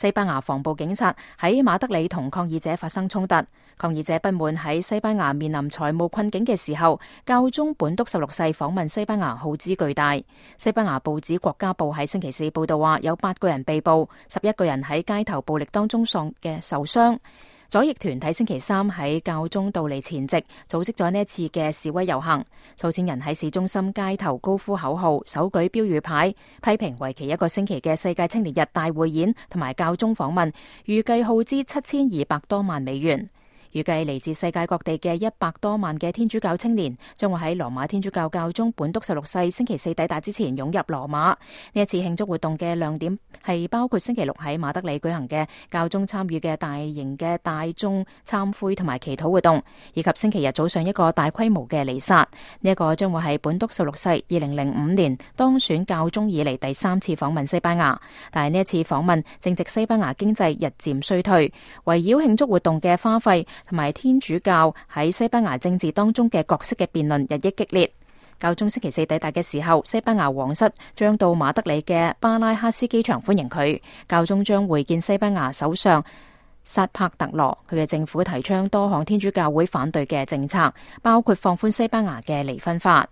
西班牙防暴警察喺馬德里同抗議者發生衝突，抗議者不滿喺西班牙面臨財務困境嘅時候，教宗本篤16世訪問西班牙耗資巨大。西班牙報紙《國家報》喺星期四報道話，有8個人被捕，11個人喺街頭暴力當中受傷。左翼團體星期三喺教宗到嚟前夕組織咗呢一次嘅示威遊行，數千人喺市中心街頭高呼口號，手舉標語牌，批評為期1個星期嘅世界青年日大匯演同埋教宗訪問，預計耗資7200多萬美元。預計嚟自世界各地嘅100多萬嘅天主教青年將會喺羅馬天主教教宗本篤16世星期四抵達之前湧入羅馬。呢一次慶祝活動嘅亮點係包括星期六喺馬德里舉行嘅教宗參與嘅大型嘅大眾懺悔同埋祈禱活動，以及星期日早上一個大規模嘅彌撒。呢一個將會係本篤16世2005年當選教宗以嚟第3次訪問西班牙，但係呢一次訪問正值西班牙經濟日漸衰退，圍繞慶祝活動嘅花費同埋天主教喺西班牙政治當中嘅角色嘅辯論日益激烈。教宗星期四抵達嘅時候，西班牙皇室將到馬德里嘅巴拉克斯機場歡迎佢。教宗將會見西班牙首相薩帕特羅，佢嘅政府提倡多項天主教會反對嘅政策，包括放寬西班牙嘅離婚法。